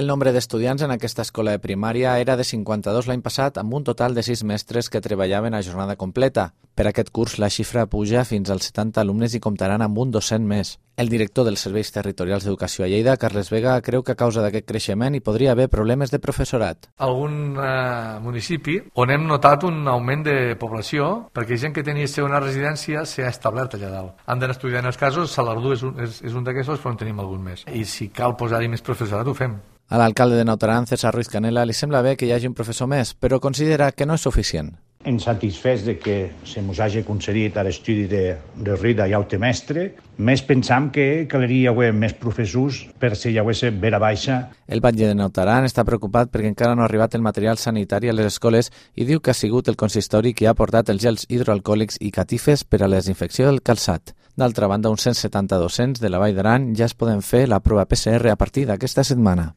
El nombre d'estudiants en aquesta escola de primària era de 52 l'any passat, amb un total de 6 mestres que treballaven a jornada completa. Per aquest curs la xifra puja fins als 70 alumnes i comptaran amb un docent més. El director dels Serveis Territorials d'Educació a Lleida, Carles Vega, creu que a causa d'aquest creixement hi podria haver problemes de professorat. Algun municipi on hem notat un augment de població perquè gent que tenia una residència s'ha establert allà dalt. Han d'anar estudiant els casos, Salardú és un d'aquests, però en tenim algun més. I si cal posar-hi més professorat, ho fem. A l'alcalde de Naut Aran, César Ruiz Canela, li sembla bé que hi hagi un professor més, però considera que no és suficient. En satisfès de que se mos hagi concedit l'estudi de Rida i Aute Mestre, més pensam que caldria haver més professors per si hi hagués vera baixa. El batlle de Naut Aran està preocupat perquè encara no ha arribat el material sanitari a les escoles i diu que ha sigut el consistori qui ha portat els gels hidroalcohòlics i catifes per a la desinfecció del calçat. D'altra banda, uns 170 docents de la Vall d'Aran ja es poden fer la prova PCR a partir d'aquesta setmana.